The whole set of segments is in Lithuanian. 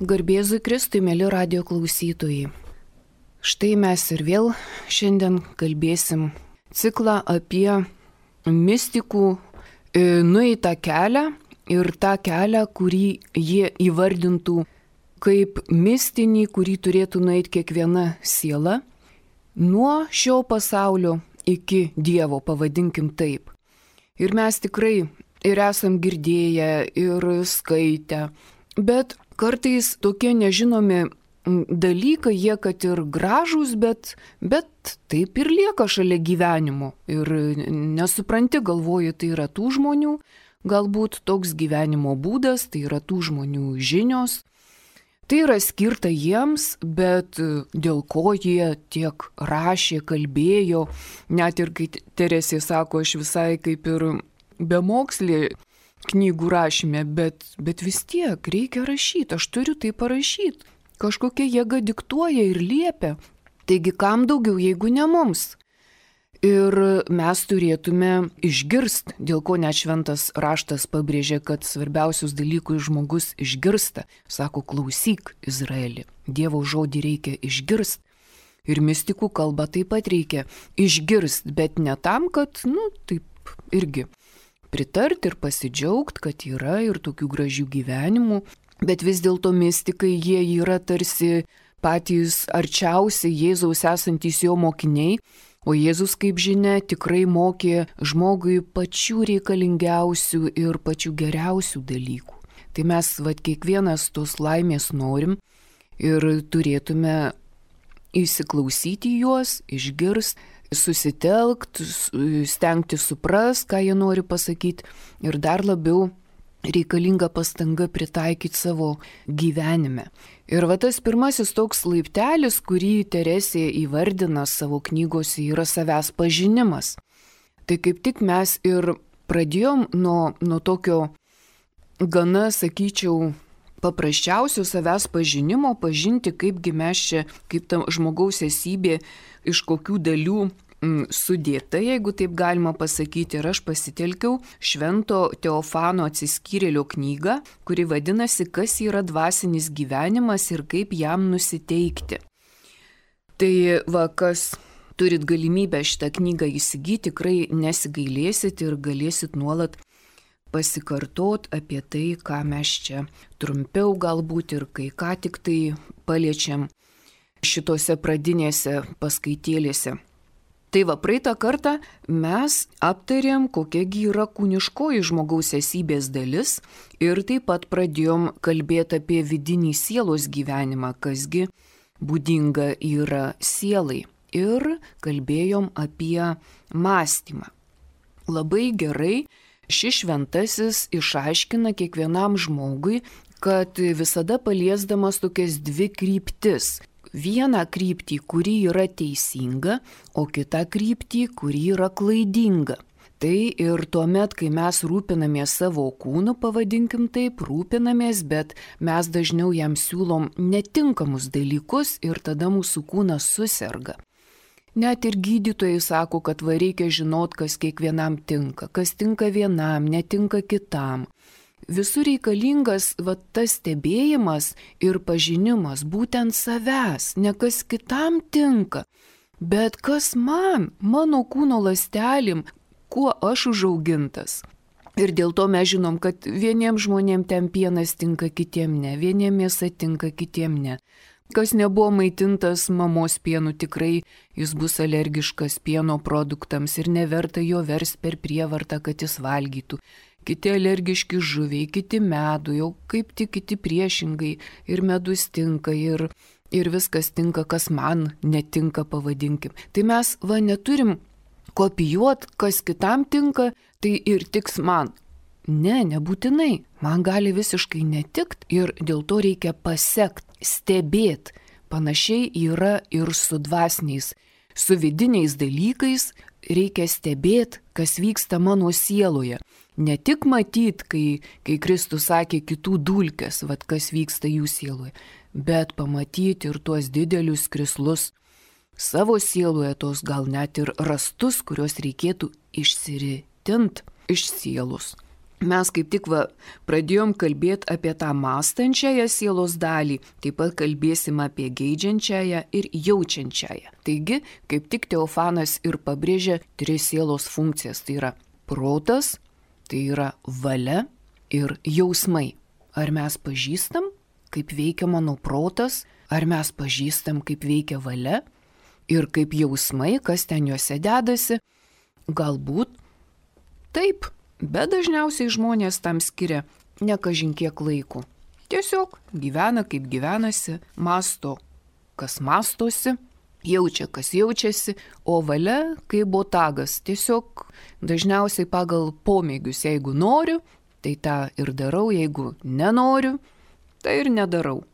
Garbėzui Kristui, mėly radijo klausytojai. Štai mes ir vėl šiandien kalbėsim ciklą apie mistikų nueitą kelią ir tą kelią, kurį jie įvardintų kaip mistinį, kurį turėtų nueiti kiekviena siela, nuo šio pasaulio iki Dievo, pavadinkim taip. Ir mes tikrai ir esam girdėję, ir skaitę, bet kartais tokie nežinomi dalykai, jie kad ir gražūs, bet taip ir lieka šalia gyvenimo. Ir nesupranti, galvoju, tai yra tų žmonių, galbūt toks gyvenimo būdas, tai yra tų žmonių žinios. Tai yra skirta jiems, bet dėl ko jie tiek rašė, kalbėjo, net ir kai Teresė sako, aš visai kaip ir bemokslė knygų rašyme, bet vis tiek reikia rašyti, aš turiu tai parašyti. Kažkokia jėga diktuoja ir liepia. Taigi kam daugiau, jeigu ne mums? Ir mes turėtume išgirsti, dėl ko net šventas raštas pabrėžė, kad svarbiausius dalykus žmogus išgirsta. Sako, klausyk, Izraeli, Dievo žodį reikia išgirsti. Ir mistikų kalbą taip pat reikia išgirsti, bet ne tam, kad, taip irgi pritarti ir pasidžiaugti, kad yra ir tokių gražių gyvenimų, bet vis dėlto mistikai jie yra tarsi patys arčiausiai Jėzaus esantys jo mokiniai, o Jėzus, kaip žinia, tikrai mokė žmogui pačių reikalingiausių ir pačių geriausių dalykų. Tai mes kiekvienas tos laimės norim ir turėtume įsiklausyti juos, išgirsti, susitelkti, stengti supras, ką jie nori pasakyti ir dar labiau reikalinga pastanga pritaikyti savo gyvenime. Ir tas pirmasis toks laiptelis, kurį Teresė įvardina savo knygose, yra savęs pažinimas. Tai kaip tik mes ir pradėjom nuo tokio gana, sakyčiau, paprasčiausio savęs pažinimo, pažinti, kaipgi mes čia, kaip ta žmogaus esybė, iš kokių dalių sudėta, jeigu taip galima pasakyti. Ir aš pasitelkiau Švento Teofano Atsiskyrėlio knygą, kuri vadinasi Kas yra dvasinis gyvenimas ir kaip jam nusiteikti. Tai kas turit galimybę šitą knygą įsigyti, tikrai nesigailėsit ir galėsit nuolat pasikartot apie tai, ką mes čia trumpiau galbūt ir kai ką tik tai paliečiam šitose pradinėse paskaitėlėse. Tai praeitą kartą mes aptarėm, kokiagi yra kūniškoji žmogaus esybės dalis ir taip pat pradėjom kalbėti apie vidinį sielos gyvenimą, kasgi būdinga yra sielai. Ir kalbėjom apie mąstymą. Labai gerai šis šventasis išaiškina kiekvienam žmogui, kad visada paliesdamas tokias dvi kryptis. Vieną kryptį, kuri yra teisinga, o kitą kryptį, kuri yra klaidinga. Tai ir tuomet, kai mes rūpinamės savo kūnu, pavadinkim taip, rūpinamės, bet mes dažniau jam siūlom netinkamus dalykus ir tada mūsų kūnas suserga. Net ir gydytojai sako, kad reikia žinot, kas kiekvienam tinka, kas tinka vienam, netinka kitam. Visur reikalingas tas stebėjimas ir pažinimas būtent savęs, ne kas kitam tinka, bet kas man, mano kūno ląstelėm, kuo aš užaugintas. Ir dėl to mes žinom, kad vieniems žmonėms ten pienas tinka, kitiem ne, vieniems mėsa tinka, kitiem ne. Kas nebuvo maitintas mamos pienu, tikrai jis bus alergiškas pieno produktams ir neverta jo versti per prievartą, kad jis valgytų. Kiti alergiški žuviai, kiti medų, jau kaip tik kiti priešingai, ir medus tinka, ir viskas tinka, kas man netinka, pavadinkim. Tai mes neturim kopijuoti, kas kitam tinka, tai ir tiks man. Ne, nebūtinai. Man gali visiškai netikt ir dėl to reikia pasekti, stebėti. Panašiai yra ir su dvasiniais, su vidiniais dalykais reikia stebėti, kas vyksta mano sieloje. Ne tik matyti, kai Kristus sakė kitų dulkes, kas vyksta jų sieloje, bet pamatyti ir tuos didelius krislus savo sieloje, tos gal net ir rastus, kuriuos reikėtų išsiritint iš sielos. mes kaip tik pradėjom kalbėti apie tą mąstančiąją sielos dalį, taip pat kalbėsim apie geidžiančiąją ir jaučiančiąją. Taigi, kaip tik Teofanas ir pabrėžia 3 sielos funkcijas. Tai yra protas, tai yra valia ir jausmai. Ar mes pažįstam, kaip veikia mano protas, ar mes pažįstam, kaip veikia valia ir kaip jausmai, kas ten juose dedasi? Galbūt taip. Bet dažniausiai žmonės tam skiria ne kažin kiek laiko. Tiesiog gyvena kaip gyvenasi, mąsto, kas mąstosi, jaučia, kas jaučiasi, o valia kaip botagas. Tiesiog dažniausiai pagal pomėgius, jeigu noriu, tai tą ir darau, jeigu nenoriu, tai ir nedarau.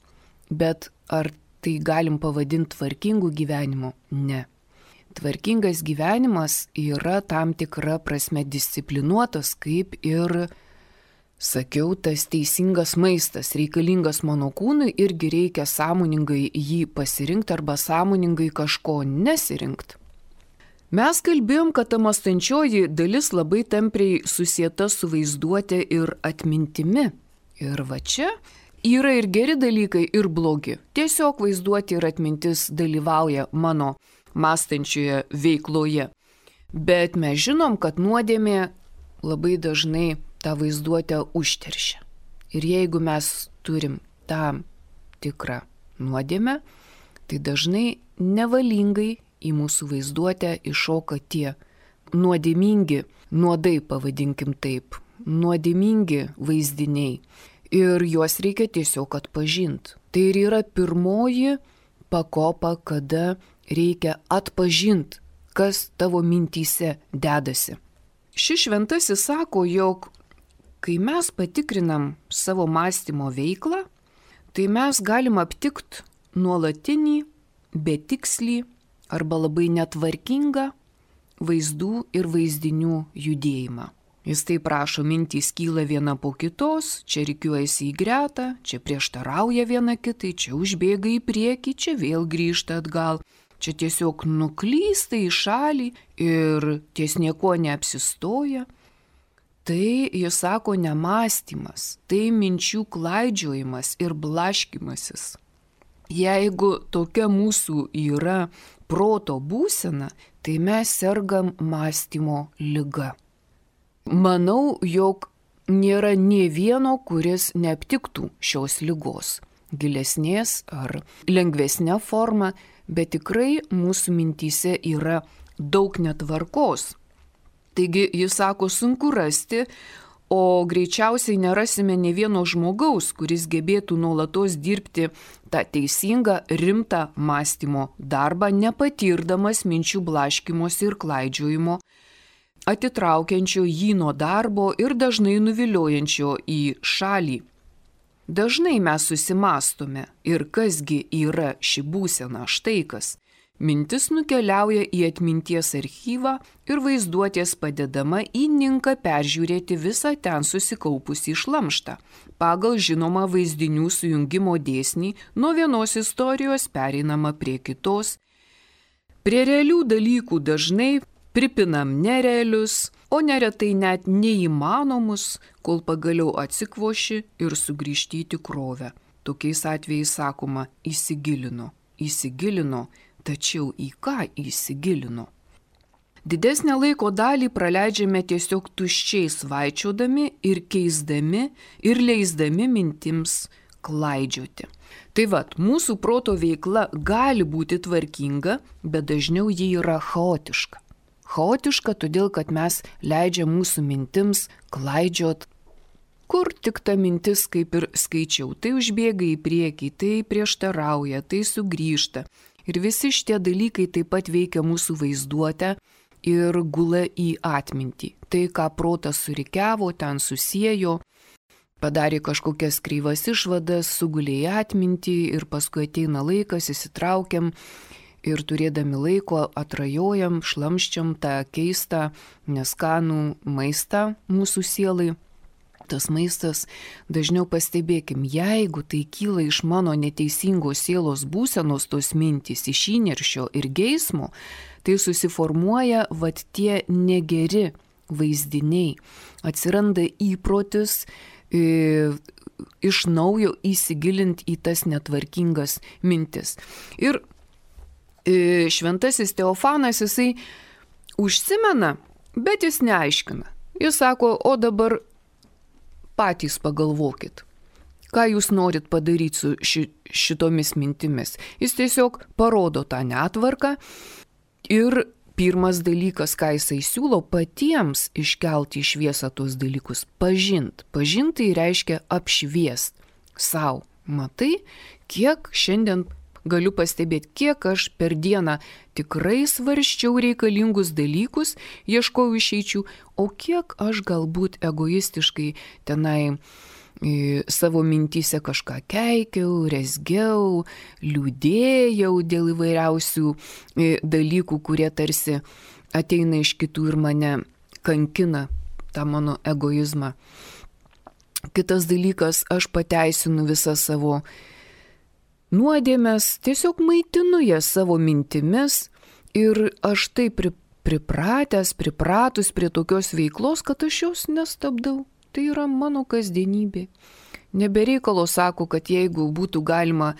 Bet ar tai galim pavadinti tvarkingu gyvenimu? Ne. Tvarkingas gyvenimas yra tam tikra prasme disciplinuotas, kaip ir, sakiau, tas teisingas maistas, reikalingas mano kūnui, irgi reikia sąmoningai jį pasirinkti arba sąmoningai kažko nesirinkti. Mes kalbėjom, kad ta mąstančioji dalis labai tampriai susieta su vaizduote ir atmintimi. Ir čia yra ir geri dalykai, ir blogi. Tiesiog vaizduoti ir atmintis dalyvauja mano mąstančioje veikloje. Bet mes žinom, kad nuodėmė labai dažnai tą vaizduotę užteršia. Ir jeigu mes turim tam tikrą nuodėmę, tai dažnai nevalingai į mūsų vaizduotę iššoka tie nuodėmingi, nuodai pavadinkim taip, nuodėmingi vaizdiniai. Ir juos reikia tiesiog atpažinti. Tai ir yra pirmoji pakopa, kada reikia atpažinti, kas tavo mintyse dedasi. Šis šventasis sako, jog kai mes patikrinam savo mąstymo veiklą, tai mes galim aptikti nuolatinį, betikslį arba labai netvarkingą vaizdų ir vaizdinių judėjimą. Jis taip prašo, mintys kyla viena po kitos, čia rikiuojasi į gretą, čia prieštarauja viena kitai, čia užbėga į priekį, čia vėl grįžta atgal. Čia tiesiog nuklysta į šalį ir ties nieko neapsistoja. Tai, jis sako, nemąstymas, tai minčių klaidžiojimas ir blaškymasis. Jeigu tokia mūsų yra proto būsena, tai mes sergam mąstymo liga. Manau, jog nėra nė vieno, kuris neaptiktų šios ligos, gilesnės ar lengvesnė forma, bet tikrai mūsų mintyse yra daug netvarkos. Taigi, jis sako, sunku rasti, o greičiausiai nerasime ne vieno žmogaus, kuris gebėtų nuolatos dirbti tą teisingą, rimtą mąstymo darbą, nepatirdamas minčių blaškymosi ir klaidžiojimo, atitraukiančio jį nuo darbo ir dažnai nuviliojančio į šalį. Dažnai mes susimąstome, ir kasgi yra ši būsena, štai kas. Mintis nukeliauja į atminties archyvą ir vaizduotės padedama įninka peržiūrėti visą ten susikaupusį šlamštą. Pagal žinomą vaizdinių sujungimo dėsnį nuo vienos istorijos pereinama prie kitos. Prie realių dalykų dažnai pripinam nerealius, o neretai net neįmanomus, kol pagaliau atsikvoši ir sugrįžti į tikrovę. Tokiais atvejais sakoma, įsigilino, tačiau į ką įsigilino? Didesnę laiko dalį praleidžiame tiesiog tuščiai svaičiodami ir keisdami ir leisdami mintims klaidžioti. Tai mūsų proto veikla gali būti tvarkinga, bet dažniau ji yra chaotiška. Chaotiška todėl, kad mes leidžiam mūsų mintims klaidžiot, kur tik ta mintis, kaip ir skaičiau, tai užbėga į priekį, tai prieštarauja, tai sugrįžta. Ir visi šitie dalykai taip pat veikia mūsų vaizduotę ir gula į atmintį. Tai, ką protas surikiavo, ten susiejo, padarė kažkokias kreivas išvadas, sugulė į atmintį ir paskui ateina laikas, įsitraukiam ir turėdami laiko atrajojam, šlamščiam tą keistą, neskanų maistą mūsų sielai. Tas maistas, dažniau pastebėkim, jeigu tai kyla iš mano neteisingos sielos būsenos tos mintys, iš įniršio ir geismo, tai susiformuoja tie negeri vaizdiniai, atsiranda įprotis iš naujo įsigilinti į tas netvarkingas mintis. Ir šventasis Teofanas, jisai užsimena, bet jis neaiškina. Jis sako, o dabar patys pagalvokit, ką jūs norit padaryti su šitomis mintimis. Jis tiesiog parodo tą netvarką ir pirmas dalykas, ką jisai siūlo, patiems iškelti į šviesą tuos dalykus, pažint. Pažint tai reiškia apšviest sau. Matai, kiek šiandien galiu pastebėti, kiek aš per dieną tikrai svarsčiau reikalingus dalykus, ieškojau išeičių, o kiek aš galbūt egoistiškai tenai savo mintyse kažką keikiau, rezgiau, liūdėjau dėl įvairiausių dalykų, kurie tarsi ateina iš kitų ir mane kankina, tą mano egoizmą. Kitas dalykas, aš pateisinu visą savo nuodėmes, tiesiog maitinu jas savo mintimis ir aš taip pripratus prie tokios veiklos, kad aš jos nestabdau. Tai yra mano kasdienybė. Nebereikalo sako, kad jeigu būtų galima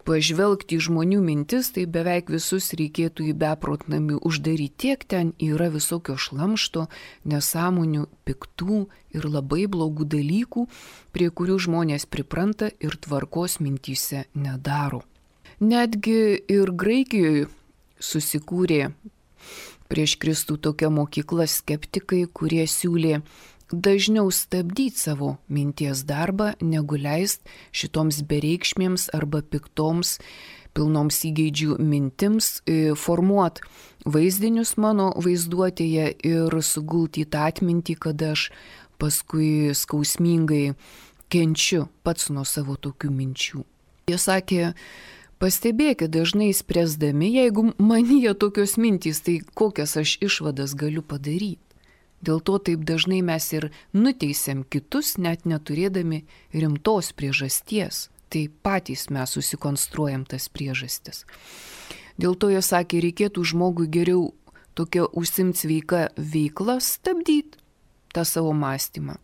pažvelgti į žmonių mintis, tai beveik visus reikėtų į beprotnamį uždaryti. Tiek ten yra visokio šlamšto, nesąmonių, piktų ir labai blogų dalykų, prie kurių žmonės pripranta ir tvarkos mintyse nedaro. Netgi ir Graikijoje susikūrė prieš Kristų tokia mokykla skeptikai, kurie siūlė dažniau stabdyti savo minties darbą, negu leist šitoms bereikšmėms arba piktoms, pilnoms įgeidžių mintims formuot vaizdinius mano vaizduotėje ir sugulti į tą atmintį, kad aš paskui skausmingai kenčiu pats nuo savo tokių minčių. Jie sakė, pastebėkit, dažnai spręsdami, jeigu manyje tokios mintys, tai kokias aš išvadas galiu padaryti. Dėl to taip dažnai mes ir nuteisiam kitus, net neturėdami rimtos priežasties. Tai patys mes susikonstruojam tas priežastis. Dėl to jie sakė, reikėtų žmogui geriau tokia užsimt sveika veikla stabdyti tą savo mąstymą.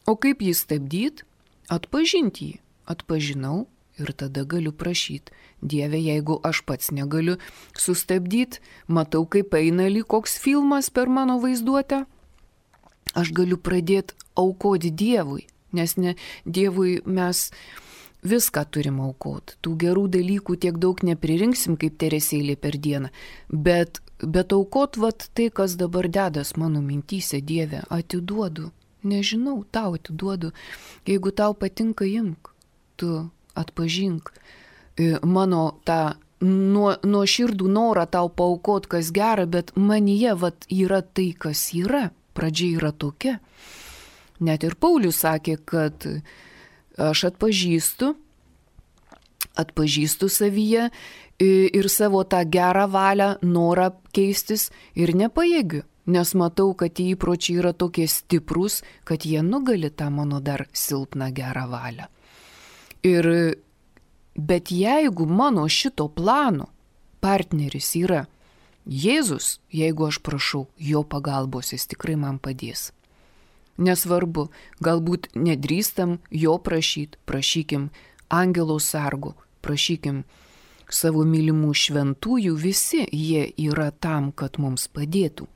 O kaip jį stabdyti? Atpažinti jį. Atpažinau ir tada galiu prašyti. Dieve, jeigu aš pats negaliu sustabdyti, matau, kaip eina lyg koks filmas per mano vaizduotę, aš galiu pradėti aukoti Dievui, nes ne Dievui mes viską turim aukoti. Tų gerų dalykų tiek daug neprirrinksim kaip Teresėlė per dieną, bet aukot vat tai, kas dabar dedas mano mintyse, Dieve, atiduodu. Nežinau, tau atiduodu. Jeigu tau patinka, imk, tu atpažink mano tą nuoširdų norą tau paaukot, kas gera, bet manyje vat yra tai, kas yra. Pradžia yra tokia. Net ir Paulius sakė, kad aš atpažįstu savyje ir savo tą gerą valią, norą keistis ir nepajėgiu, nes matau, kad tie įpročiai yra tokie stiprūs, kad jie nugali tą mano dar silpną gerą valią. Bet jeigu mano šito plano partneris yra Jėzus, jeigu aš prašau jo pagalbos, jis tikrai man padės. Nesvarbu, galbūt nedrįstam jo prašykim angelo sargo, prašykim savo mylimų šventųjų, visi jie yra tam, kad mums padėtų.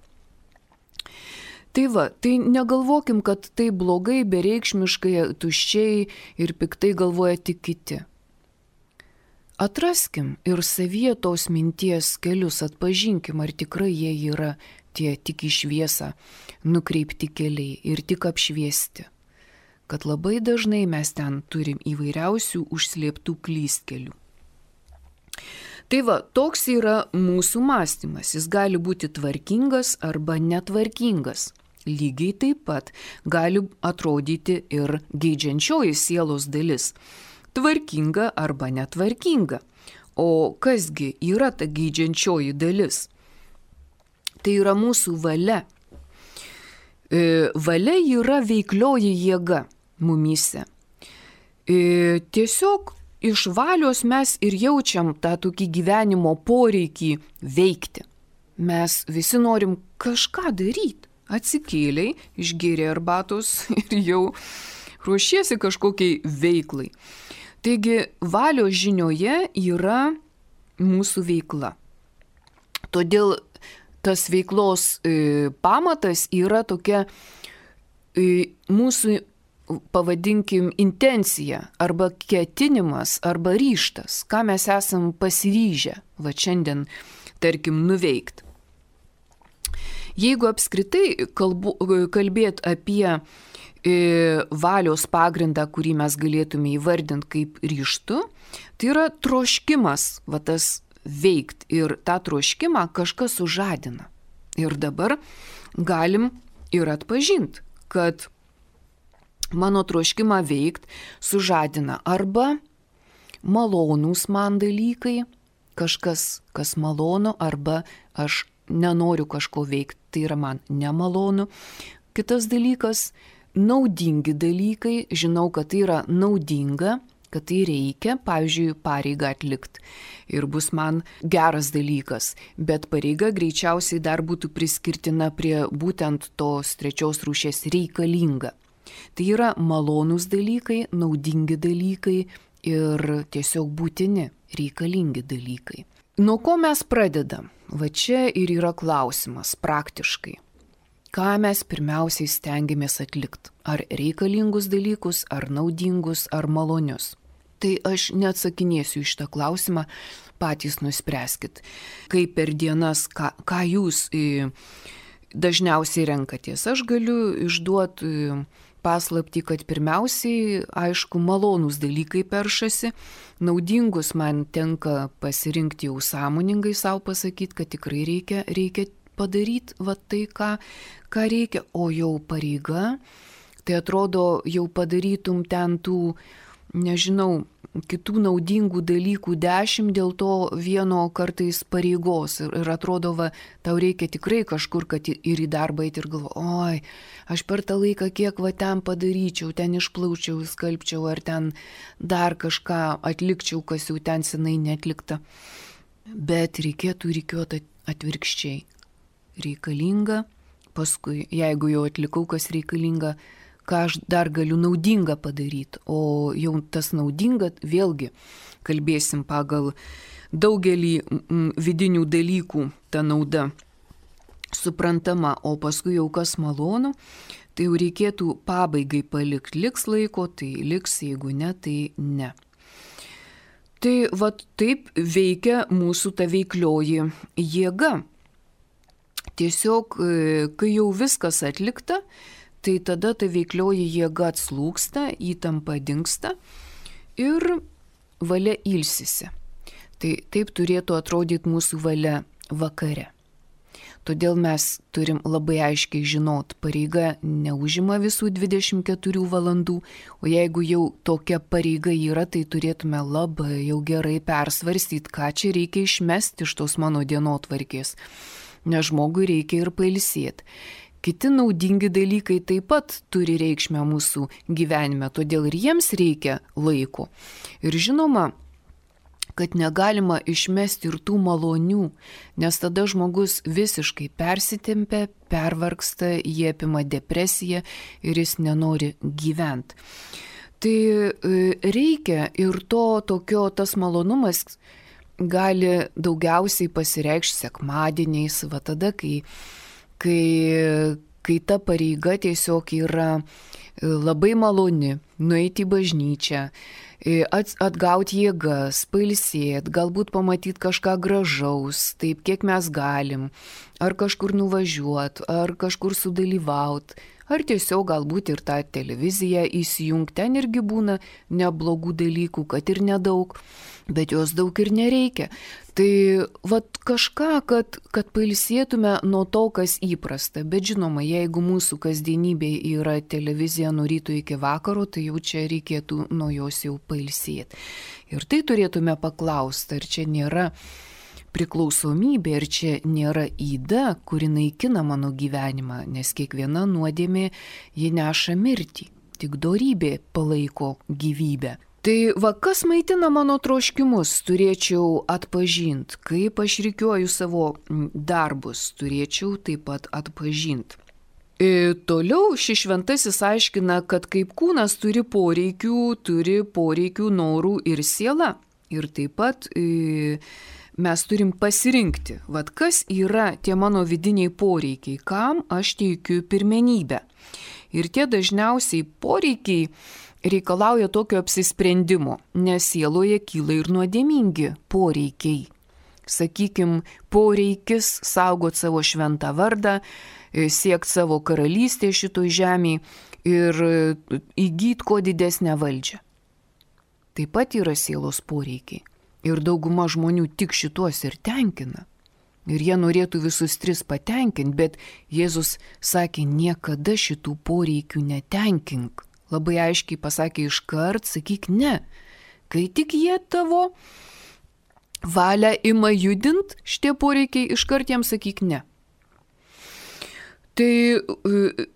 Tai va, tai negalvokim, kad tai blogai, bereikšmiškai, tuščiai ir piktai galvoja tik kiti. Atraskim ir savyje tos minties kelius, atpažinkim, ar tikrai jie yra tie tik į šviesą nukreipti keliai ir tik apšviesti. Kad labai dažnai mes ten turim įvairiausių užslėptų klystkelių. Tai va, toks yra mūsų mąstymas. Jis gali būti tvarkingas arba netvarkingas. Lygiai taip pat gali atrodyti ir geidžiančioji sielos dalis. Tvarkinga arba netvarkinga. O kasgi yra ta geidžiančioji dalis? Tai yra mūsų valia. Valia yra veiklioji jėga mumyse. Tiesiog iš valios mes ir jaučiam tą tokį gyvenimo poreikį veikti. Mes visi norim kažką daryti. atsikėlei, išgėrė arbatos ir jau ruošiesi kažkokiai veiklai. Taigi valios žinioje yra mūsų veikla. Todėl tas veiklos pamatas yra tokia mūsų, pavadinkim, intencija arba ketinimas arba ryžtas, ką mes esam pasiryžę šiandien, tarkim, nuveikti. Jeigu apskritai kalbėt apie valios pagrindą, kurį mes galėtume įvardinti kaip ryžtu, tai yra troškimas, tas veikt, ir tą troškimą kažkas sužadina. Ir dabar galim ir atpažinti, kad mano troškimą veikt sužadina arba malonūs man dalykai, kažkas, kas malonu, arba aš nenoriu kažko veikti, tai yra man nemalonu. Kitas dalykas, naudingi dalykai, žinau, kad tai yra naudinga, kad tai reikia, pavyzdžiui, pareigą atlikti ir bus man geras dalykas, bet pareiga greičiausiai dar būtų priskirtina prie būtent tos trečios rūšies reikalinga. Tai yra malonūs dalykai, naudingi dalykai ir tiesiog būtini, reikalingi dalykai. Nuo ko mes pradedam? Čia ir yra klausimas praktiškai. Ką mes pirmiausiai stengiamės atlikti? Ar reikalingus dalykus, ar naudingus, ar malonius? Tai aš neatsakinėsiu iš tą klausimą, patys nuspręskit. Kaip per dienas, ką jūs dažniausiai renkatės. Aš galiu išduoti paslaptį, kad pirmiausiai, aišku, malonūs dalykai peršasi, naudingus man tenka pasirinkti jau sąmoningai savo pasakyti, kad tikrai reikia padaryti tai, ką reikia, o jau pareiga, tai atrodo jau padarytum ten tų, nežinau, kitų naudingų dalykų 10 dėl to vieno kartais pareigos ir atrodo, tau reikia tikrai kažkur, kad ir į darbą eiti ir galvo, oi, aš per tą laiką kiek ten padaryčiau, ten išplaučiau, skalbčiau ar ten dar kažką atlikčiau, kas jau ten senai neatlikta. Bet reikėtų rikiuoti atvirkščiai. Reikalinga, paskui, jeigu jau atlikau, kas reikalinga, ką aš dar galiu naudinga padaryti. O jau tas naudinga, vėlgi, kalbėsim pagal daugelį vidinių dalykų ta nauda suprantama, o paskui jau kas malonu, tai jau reikėtų pabaigai palikti. Liks laiko, tai liks, jeigu ne, tai ne. Tai taip veikia mūsų ta veiklioji jėga. Tiesiog, kai jau viskas atlikta, tai tada ta veiklioji jėga atslūgsta, įtampa dingsta ir valia ilsisi. Tai taip turėtų atrodyti mūsų valia vakare. Todėl mes turim labai aiškiai žinot, pareiga neužima visų 24 valandų, o jeigu jau tokia pareiga yra, tai turėtume labai jau gerai persvarstyti, ką čia reikia išmesti iš tos mano dienotvarkės, nes žmogui reikia ir pailsėti. Kiti naudingi dalykai taip pat turi reikšmę mūsų gyvenime, todėl ir jiems reikia laiko. Ir žinoma, kad negalima išmesti ir tų malonių, nes tada žmogus visiškai persitempia, pervargsta, jie apima depresiją ir jis nenori gyventi. Tai reikia ir tokio, tas malonumas gali daugiausiai pasireikšti sekmadieniais, tada, kai ta pareiga tiesiog yra labai maloni, nueiti į bažnyčią, atgauti jėgas, pailsėti, galbūt pamatyti kažką gražaus, taip kiek mes galim, ar kažkur nuvažiuoti, ar kažkur sudalyvauti, ar tiesiog galbūt ir tą televiziją įsijungti, ten irgi būna neblogų dalykų, kad ir nedaug, bet jos daug ir nereikia. Tai kažką, kad pailsėtume nuo to, kas įprasta. Bet žinoma, jeigu mūsų kasdienybė yra televizija nuo ryto iki vakaro, tai jau čia reikėtų nuo jos jau pailsėti. Ir tai turėtume paklausti, ar čia nėra priklausomybė, ar čia nėra yda, kuri naikina mano gyvenimą, nes kiekviena nuodėmė ji neša mirtį, tik dorybė palaiko gyvybę. Tai kas maitina mano troškimus, turėčiau atpažinti, kaip aš rikiuoju savo darbus, turėčiau taip pat atpažinti. Toliau šis šventasis aiškina, kad kaip kūnas turi poreikių, norų ir siela. Ir taip pat mes turim pasirinkti, kas yra tie mano vidiniai poreikiai, kam aš teikiu pirmenybę. Ir tie dažniausiai poreikiai reikalauja tokio apsisprendimo, nes sieloje kyla ir nuodėmingi poreikiai. Sakykime, poreikis saugot savo šventą vardą, siekti savo karalystę šitoj žemėje ir įgyti kuo didesnę valdžią. Taip pat yra sielos poreikiai. Ir dauguma žmonių tik šituos ir tenkina. Ir jie norėtų visus tris patenkinti, bet Jėzus sakė, niekada šitų poreikių netenkink. Labai aiškiai pasakė iškart, sakyk ne. Kai tik jie tavo valią ima judint, šitie poreikiai iškart jiems sakyk ne. Tai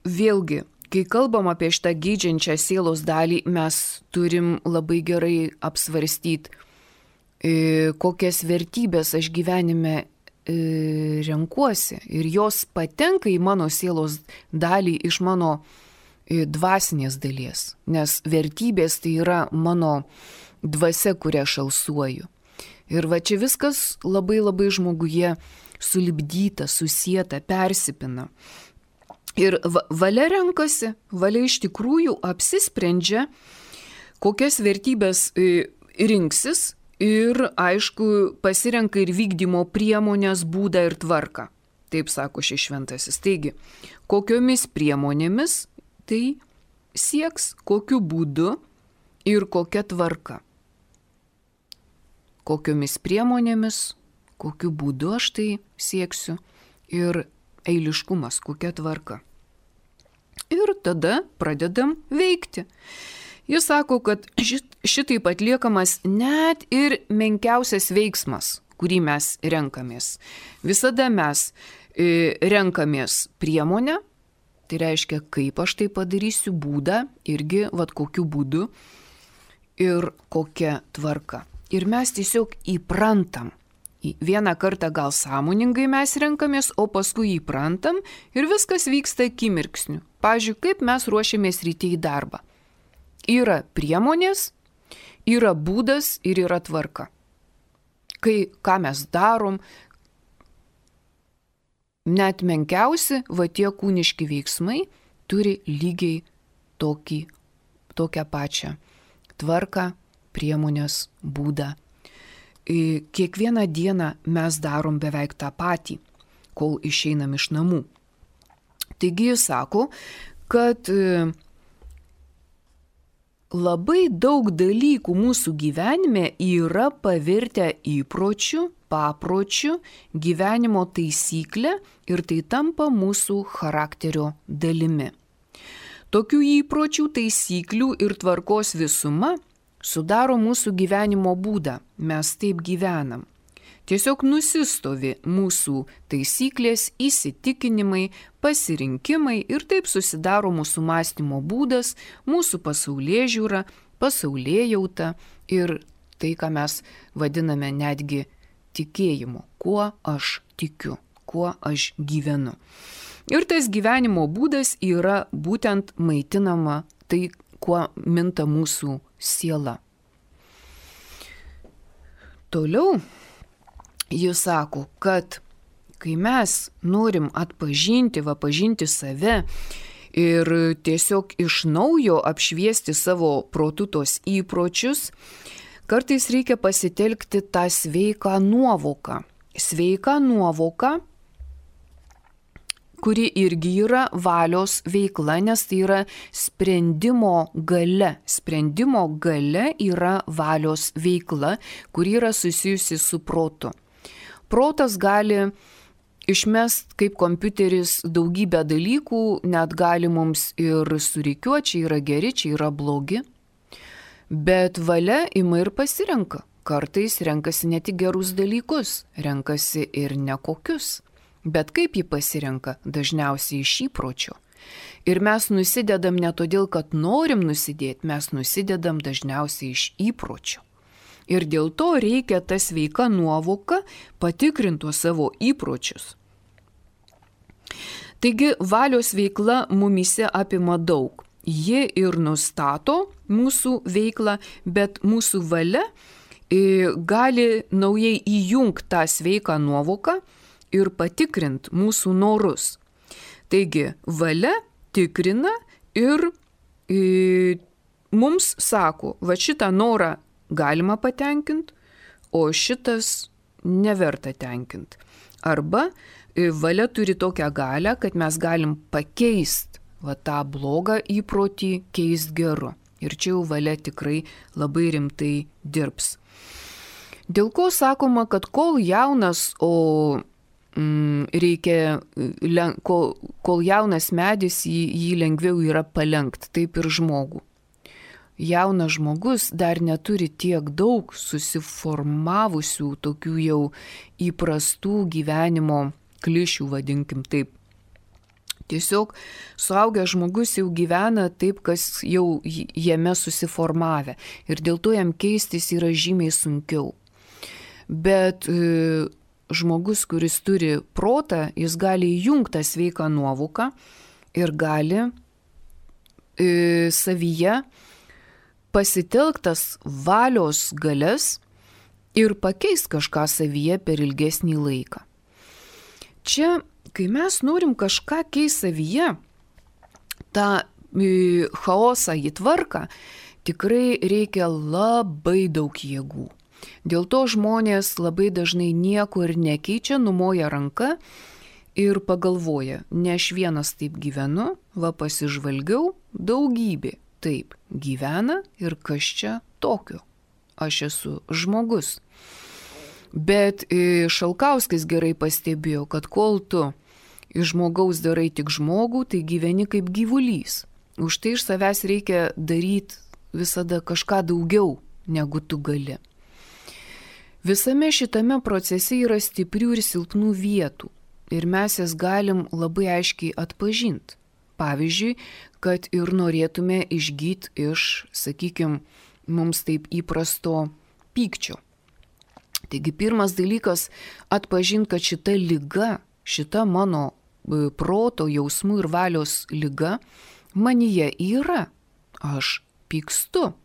vėlgi, kai kalbam apie šitą geidžiančią sielos dalį, mes turim labai gerai apsvarstyti, kokias vertybės aš gyvenime renkuosi. Ir jos patenka į mano sielos dalį iš mano dvasinės dalies. Nes vertybės tai yra mano dvasia, kurią aš alsuoju. Ir čia viskas labai žmoguje sulipdyta, susieta, persipina. Ir valia renkasi, valia iš tikrųjų apsisprendžia, kokias vertybės rinksis ir, aišku, pasirenka ir vykdymo priemonės, būdą ir tvarką. Taip sako šis šventasis. Taigi, kokiomis priemonėmis tai sieks, kokiu būdu ir kokia tvarka. Kokiomis priemonėmis, kokiu būdu aš tai sieksiu ir eiliškumas, kokia tvarka. Ir tada pradedam veikti. Jis sako, kad šitaip atliekamas net ir menkiausias veiksmas, kurį mes renkamės. Visada mes renkamės priemonę, tai reiškia, kaip aš tai padarysiu, būdą, irgi kokiu būdu ir kokia tvarka. Ir mes tiesiog įprantam. Vieną kartą gal sąmoningai mes renkamės, o paskui įprantam ir viskas vyksta akimirksniu. Pavyzdžiui, kaip mes ruošiamės ryte į darbą. Yra priemonės, yra būdas ir yra tvarka. Ką mes darom, net menkiausi, tie kūniški veiksmai turi lygiai tokią pačią tvarką, priemonės, būdą. Kiekvieną dieną mes darom beveik tą patį, kol išeinam iš namų. Taigi jis sako, kad labai daug dalykų mūsų gyvenime yra pavirtę įpročių, papročių, gyvenimo taisyklę ir tai tampa mūsų charakterio dalimi. Tokių įpročių, taisyklių ir tvarkos visuma sudaro mūsų gyvenimo būdą, mes taip gyvenam. Tiesiog nusistovi mūsų taisyklės, įsitikinimai, pasirinkimai ir taip susidaro mūsų mąstymo būdas, mūsų pasaulėžiūra, pasaulėjauta ir tai, ką mes vadiname netgi tikėjimu, kuo aš tikiu, kuo aš gyvenu. Ir tas gyvenimo būdas yra būtent maitinama tai, kuo minta mūsų siela. Toliau jis sako, kad kai mes norim pažinti save ir tiesiog iš naujo apšviesti savo protu tos įpročius, kartais reikia pasitelkti tą sveiką nuovoką. Sveika nuovoka, kuri irgi yra valios veikla, nes tai yra sprendimo galia. Sprendimo galia yra valios veikla, kuri yra susijusi su protu. Protas gali išmest kaip kompiuteris daugybę dalykų, net gali mums ir surikiuoti, čia yra geri, čia yra blogi. Bet valia ima ir pasirenka. Kartais renkasi ne tik gerus dalykus, renkasi ir nekokius. Bet kaip jį pasirenka? Dažniausiai iš įpročio. Ir mes nusidedam ne todėl, kad norim nusidėti, mes nusidedam dažniausiai iš įpročio. Ir dėl to reikia tą sveiką nuovoką patikrinti savo įpročius. Taigi valios veikla mumyse apima daug. Ji ir nustato mūsų veiklą, bet mūsų valia gali naujai įjungti tą sveiką nuovoką ir patikrinti mūsų norus. Taigi valia tikrina ir mums sako, va šitą norą galima patenkinti, o šitas neverta tenkinti. Arba valia turi tokią galią, kad mes galim pakeisti tą blogą įprotį, keisti geru. Ir čia jau valia tikrai labai rimtai dirbs. Dėl ko sakoma, kad kol jaunas, kol jaunas medis, jį lengviau yra palenkti, taip ir žmogų. Jaunas žmogus dar neturi tiek daug susiformavusių tokių jau įprastų gyvenimo klišių, vadinkim taip. Tiesiog suaugęs žmogus jau gyvena taip, kas jau jame susiformavę. Ir dėl to jam keistis yra žymiai sunkiau. Bet žmogus, kuris turi protą, jis gali įjungti tą sveiką nuovoką ir gali savyje pasitelktas valios galias ir pakeisti kažką savyje per ilgesnį laiką. Čia, kai mes norim kažką keisti savyje, tą chaosą į tvarką, tikrai reikia labai daug jėgų. Dėl to žmonės labai dažnai nieko ir nekeičia, numoja ranka ir pagalvoja, ne aš vienas taip gyvenu, va pasižvalgiau, daugybė taip gyvena ir kas čia tokio. Aš esu žmogus. Bet Šalkauskis gerai pastebėjo, kad kol tu iš žmogaus darai tik žmogų, tai gyveni kaip gyvulys. Už tai iš savęs reikia daryti visada kažką daugiau, negu tu gali. Visame šitame procese yra stiprių ir silpnų vietų ir mes jas galim labai aiškiai atpažinti. Pavyzdžiui, kad ir norėtume išgyti iš, sakykime, mums taip įprasto pykčio. Taigi pirmas dalykas atpažinti, kad šita liga, šita mano proto, jausmų ir valios liga manyje yra. Aš pykstu.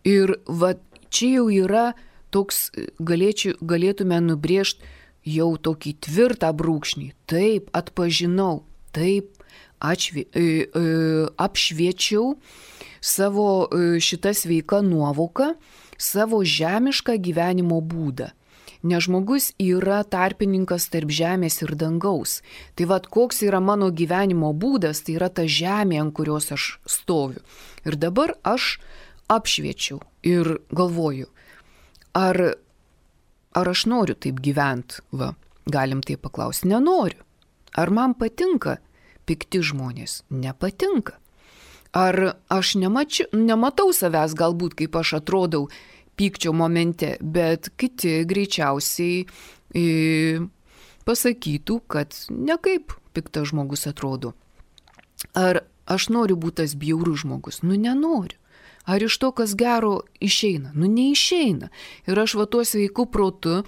Ir va čia jau yra toks, galėtume nubrėžti jau tokį tvirtą brūkšnį. Taip, atpažinau, taip, apšviečiau savo šitą sveiką nuovoką, savo žemišką gyvenimo būdą. Nes žmogus yra tarpininkas tarp žemės ir dangaus. Tai vad, koks yra mano gyvenimo būdas, tai yra ta žemė, ant kurios aš stoviu. Ir dabar aš apšviečiau ir galvoju, ar aš noriu taip gyventi? Va, galim taip paklausti, nenoriu. Ar man patinka pikti žmonės? Nepatinka. Ar aš nematau savęs galbūt, kaip aš atrodau pykčio momente, bet kiti greičiausiai pasakytų, kad ne kaip piktas žmogus atrodo. Ar aš noriu būti tas bjaurus žmogus? Nenoriu. Ar iš to, kas gero, išeina? Neišeina. Ir aš va tuo sveiku protu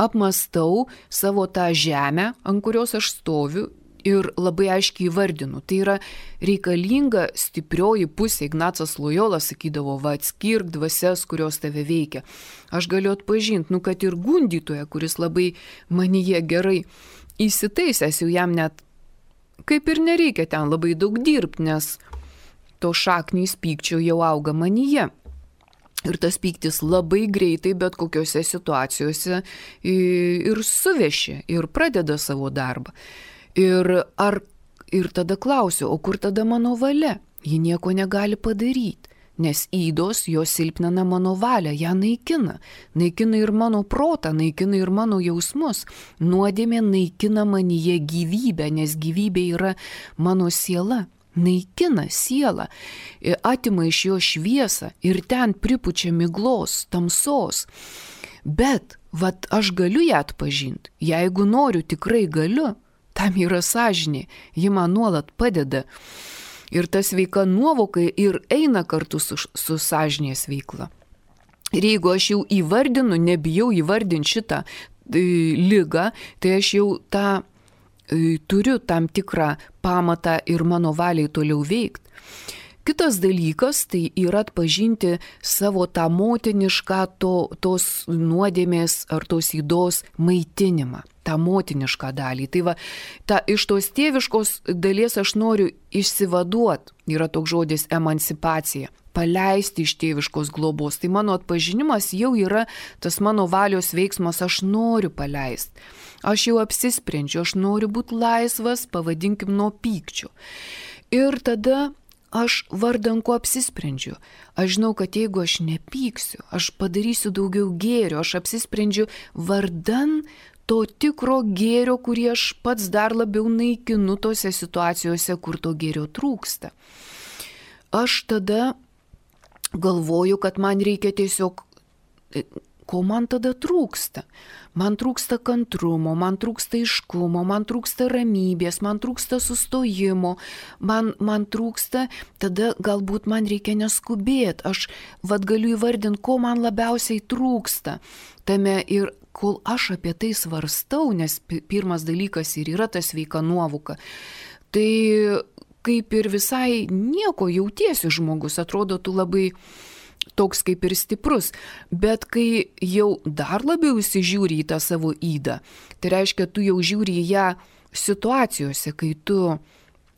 apmastau savo tą žemę, ant kurios aš stoviu, ir labai aiškiai įvardinu. Tai yra reikalinga stiprioji pusė. Ignacas Lojola sakydavo, va atskirk dvasias, kurios tave veikia. Aš galiu atpažinti, kad ir gundytoja, kuris labai manyje gerai įsitaisęs, jau jam net kaip ir nereikia ten labai daug dirbti, nes to šaknys pykčio jau auga manyje. Ir tas pyktis labai greitai bet kokiose situacijose ir suveši, ir pradeda savo darbą. Ir tada klausiu, o kur tada mano valia? Ji nieko negali padaryti, nes ydos jos silpnina mano valią, ją naikina. Naikina ir mano protą, naikina ir mano jausmus. Nuodėmė naikina manyje gyvybę, nes gyvybė yra mano siela. Naikina sielą, atima iš jo šviesą ir ten pripučia miglos, tamsos. Bet, vat aš galiu ją atpažinti, jeigu noriu, tikrai galiu. Tam yra sąžinė, ji man nuolat padeda. Ir ta sveika nuovoka ir eina kartu su sąžinės veikla. Ir jeigu aš jau įvardinu, nebijau įvardinti šitą ligą, tai aš jau tą turiu tam tikrą pamatą ir mano valiai toliau veikti. Kitas dalykas tai yra atpažinti savo tą motinišką tos nuodėmės ar tos ydos maitinimą, tą motinišką dalį. Tai va, iš tos tėviškos dalies aš noriu išsivaduoti, yra toks žodis emancipacija, paleisti iš tėviškos globos. Tai mano atpažinimas jau yra tas mano valios veiksmas, aš noriu paleisti. Aš jau apsisprendžiu, aš noriu būti laisvas, pavadinkim, nuo pykčio. Ir tada aš vardan ko apsisprendžiu. Aš žinau, kad jeigu aš nepyksiu, aš padarysiu daugiau gėrio, aš apsisprendžiu vardan to tikro gėrio, kurį aš pats dar labiau naikinu tose situacijose, kur to gėrio trūksta. Aš tada galvoju, kad man reikia tiesiog, ko man tada trūksta? Man trūksta kantrumo, man trūksta aiškumo, man trūksta ramybės, man trūksta sustojimo, man trūksta, tada galbūt man reikia neskubėti. Aš galiu įvardinti, ko man labiausiai trūksta tame ir kol aš apie tai svarstau, nes pirmas dalykas ir yra ta sveika nuovoka, tai kaip ir visai nieko jautiesi žmogus, atrodo tu labai toks kaip ir stiprus, bet kai jau dar labiau įsižiūri į tą savo ydą, tai reiškia, tu jau žiūri į ją situacijose, kai tu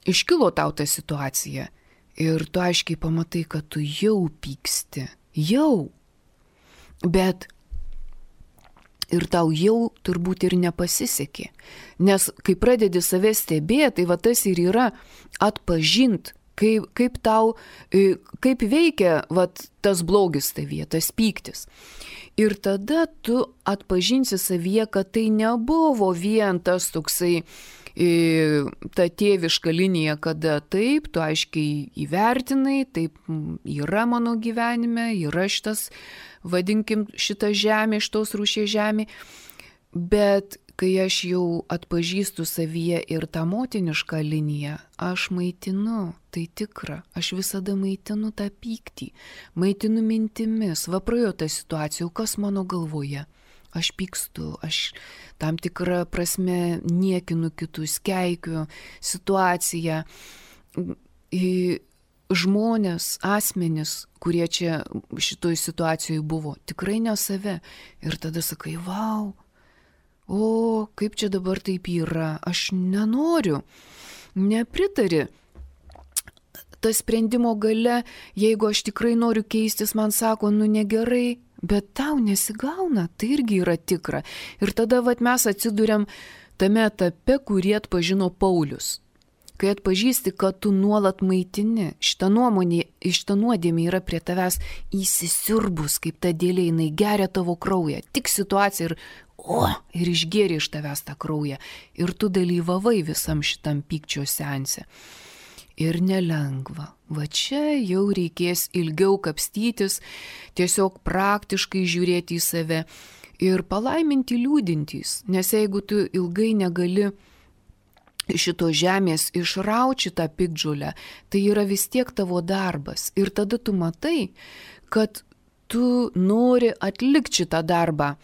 iškilo tau ta situacija ir tu aiškiai pamatai, kad tu jau pyksti, jau, bet ir tau jau turbūt ir nepasisekė, nes kai pradedi save stebėti, tai va tas ir yra atpažint, kaip veikia tas blogis tavyje, tas pyktis. Ir tada tu atpažinsi savyje, kad tai nebuvo vien tas toksai ta tėviška linija, kada taip, tu aiškiai įvertinai, taip yra mano gyvenime, yra šitas, vadinkim, šitą žemę, šitos rūšies žemė, bet kai aš jau atpažįstu savyje ir tą motinišką liniją, aš maitinu, tai tikra, aš visada maitinu tą pyktį, maitinu mintimis, praėjo ta situacija, kas mano galvoje. Aš pykstu, aš tam tikrą prasme niekinu kitus, keikiu situaciją. Žmonės, asmenys, kurie čia šitoj situacijoje buvo, tikrai ne save. Ir tada sakai, vau, o kaip čia dabar taip yra, aš nenoriu, nepritari. Tas sprendimo gale, jeigu aš tikrai noriu keistis, man sako, negerai, bet tau nesigauna, tai irgi yra tikra. Ir tada mes atsiduriam tame etape, kurį atpažino Paulius. Kai atpažįsti, kad tu nuolat maitini, šita nuodėmė yra prie tavęs įsisiurbus, kaip ta dėlė, jinai geria tavo kraują, tik situacija ir išgėrė iš tavęs tą kraują. Ir tu dalyvavai visam šitam pykčio seanse. Ir nelengva. Čia jau reikės ilgiau kapstytis, tiesiog praktiškai žiūrėti į save ir palaiminti liūdintys. Nes jeigu tu ilgai negali šito žemės išrauti šitą piktžolę, tai yra vis tiek tavo darbas. Ir tada tu matai, kad tu nori atlikti šitą darbą.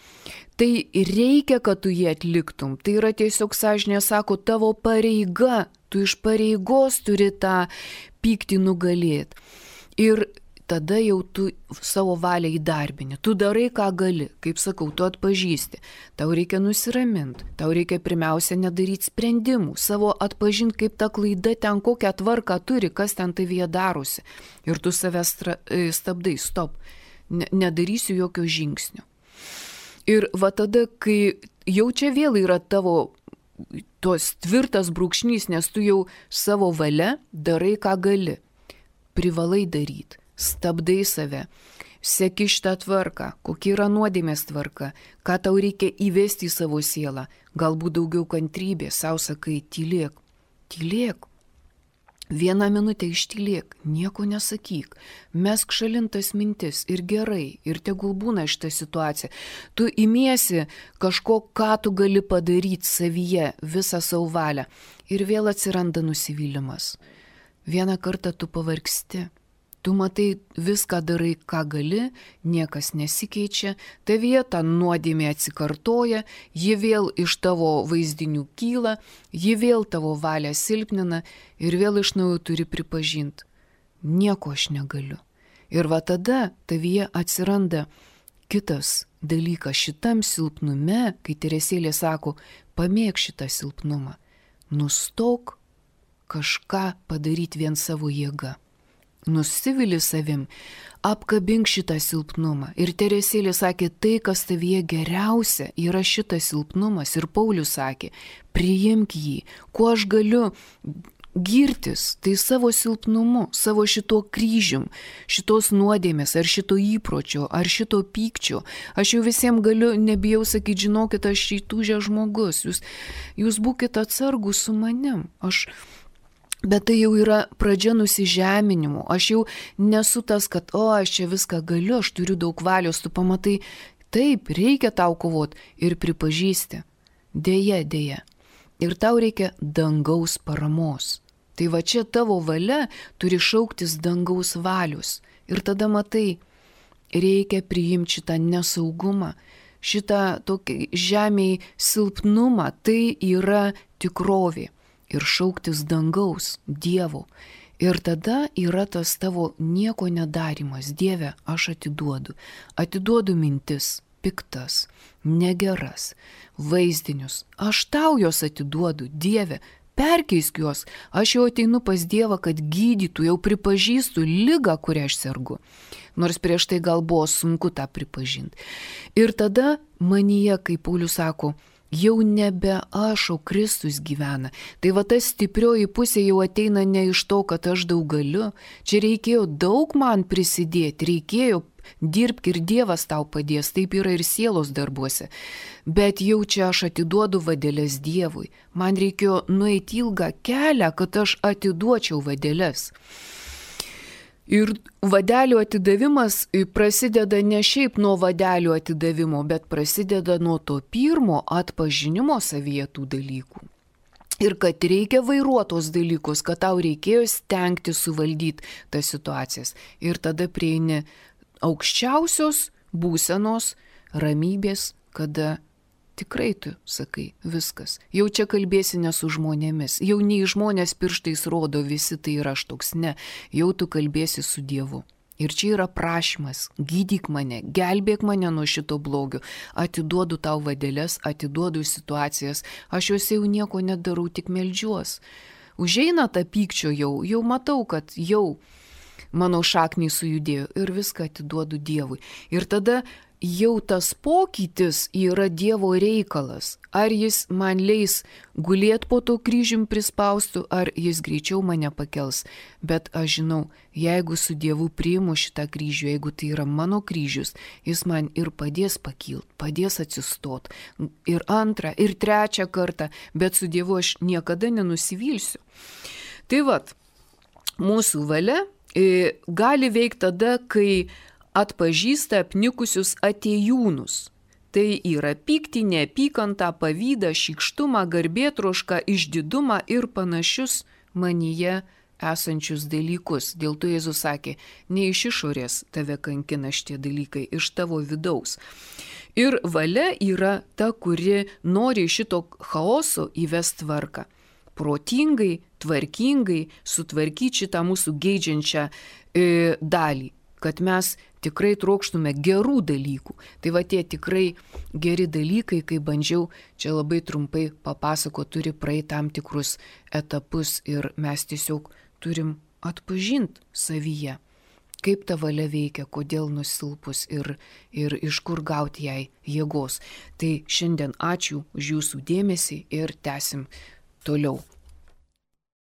Tai reikia, kad tu jį atliktum. Tai yra tiesiog, sąžinė sako, tavo pareiga. Tu iš pareigos turi tą pyktį nugalėti. Ir tada jau tu savo valią įdarbini. Tu darai, ką gali. Kaip sakau, tu atpažįsti. Tau reikia nusiraminti. Tau reikia pirmiausia nedaryti sprendimų. Savo atpažinti, kaip ta klaida ten kokią tvarką turi, kas ten tavyje darosi. Ir tu save stabdai, stop. Nedarysiu jokio žingsnio. Ir tada, kai jau čia vėl yra tavo tos tvirtas brūkšnys, nes tu jau savo valia darai, ką gali. Privalai daryti. Stabdai save. Seki šitą tvarką. Kokia yra nuodėmės tvarka. Ką tau reikia įvesti į savo sielą. Galbūt daugiau kantrybės. Sau sakai, tylėk. Tylėk. 1 minutę ištylėk, nieko nesakyk, mesk šalintas mintis ir gerai, ir tegul būna šitą situaciją. Tu imiesi kažko, ką tu gali padaryti savyje, visą savo valią. Ir vėl atsiranda nusivylimas. Vieną kartą tu pavargsti, Tu matai, viską darai, ką gali, niekas nesikeičia, tavyje ta nuodėmė atsikartoja, ji vėl iš tavo vaizdinių kyla, ji vėl tavo valią silpnina ir vėl iš naujo turi pripažinti. Nieko aš negaliu. Ir va tada tavyje atsiranda kitas dalykas šitam silpnume, kai Teresėlė sako, pamėg šitą silpnumą, nustok kažką padaryti vien savo jėga. Nusivili savim, apkabink šitą silpnumą. Ir Teresėlė sakė, tai, kas tavyje geriausia, yra šitas silpnumas. Ir Paulius sakė, priimk jį, kuo aš galiu girtis, tai savo silpnumu, savo šito kryžium, šitos nuodėmės, ar šito įpročio, ar šito pykčio. Aš jau visiems galiu, nebijau sakyti, žinokit, aš įtūžęs žmogus, jūs būkite atsargus su manim. Bet tai jau yra pradžia nusižeminimo. Aš jau nesu tas, kad, aš čia viską galiu, aš turiu daug valios, tu pamatai, taip, reikia tau kovoti ir pripažįsti. Deja. Ir tau reikia dangaus paramos. Tai va čia tavo valia turi šauktis dangaus valius. Ir tada matai, reikia priimti šitą nesaugumą, šitą tokį žemėj silpnumą, tai yra tikrovė. Ir šauktis dangaus, Dievo. Ir tada yra tas tavo nieko nedarimas. Dieve, aš atiduodu. Atiduodu mintis, piktas, negeras, vaizdinius. Aš tau jos atiduodu, Dieve, perkeisk juos. Aš jau ateinu pas Dievą, kad gydytų, jau pripažįstu ligą, kurią aš sergu. Nors prieš tai gal buvo sunku tą pripažinti. Ir tada manyje, kaip Paulius sako, jau nebe aš, o Kristus gyvena. Tai va ta stiprioji pusė jau ateina ne iš to, kad aš daug galiu. Čia reikėjo daug man prisidėti, reikėjo dirbti ir Dievas tau padės, taip yra ir sielos darbuose. Bet jau čia aš atiduodu vadeles Dievui. Man reikėjo nueiti ilgą kelią, kad aš atiduočiau vadeles. Ir vadelių atidavimas prasideda ne šiaip nuo vadelių atidavimo, bet prasideda nuo to pirmo atpažinimo savyje tų dalykų. Ir kad reikia vairuotos dalykus, kad tau reikėjo stengti suvaldyti tas situacijas. Ir tada prieini aukščiausios būsenos ramybės, kada tikrai tu sakai viskas. Jau čia kalbėsi ne su žmonėmis. Jau nei žmonės pirštais rodo, visi tai yra aš toks, ne. Jau tu kalbėsi su Dievu. Ir čia yra prašymas, gydyk mane, gelbėk mane nuo šito blogio. Atiduodu tau vadeles, atiduodu situacijas. Aš juose jau nieko nedarau, tik meldžiuos. Užeina tą pykčio jau matau, kad jau mano šakniai sujudėjo ir viską atiduodu Dievui. Ir tada jau tas pokytis yra Dievo reikalas. Ar jis man leis gulėti po to kryžium prispaustų, ar jis greičiau mane pakels. Bet aš žinau, jeigu su Dievu priimu šitą kryžių, jeigu tai yra mano kryžius, jis man ir padės pakilti, padės atsistot. Ir antrą, ir trečią kartą, bet su Dievu aš niekada nenusivilsiu. Tai vat, mūsų valia gali veikti tada, kai atpažįsta apnikusius atėjūnus. Tai yra pyktį, neapykantą, pavydą, šykštumą, garbėtrošką, išdidumą ir panašius manyje esančius dalykus. Dėl to Jėzus sakė, ne iš išorės tave kankina šitie dalykai, iš tavo vidaus. Ir valia yra ta, kuri nori šito chaoso įvesti tvarką. Protingai, tvarkingai sutvarkyti šitą mūsų geidžiančią dalį, kad mes tikrai trokštume gerų dalykų. Tai va tie tikrai geri dalykai, kai bandžiau čia labai trumpai papasakoti, turi praeiti tam tikrus etapus ir mes tiesiog turim atpažinti savyje, kaip ta valia veikia, kodėl nusilpus ir iš kur gauti jai jėgos. Tai šiandien ačiū už jūsų dėmesį ir tęsim toliau.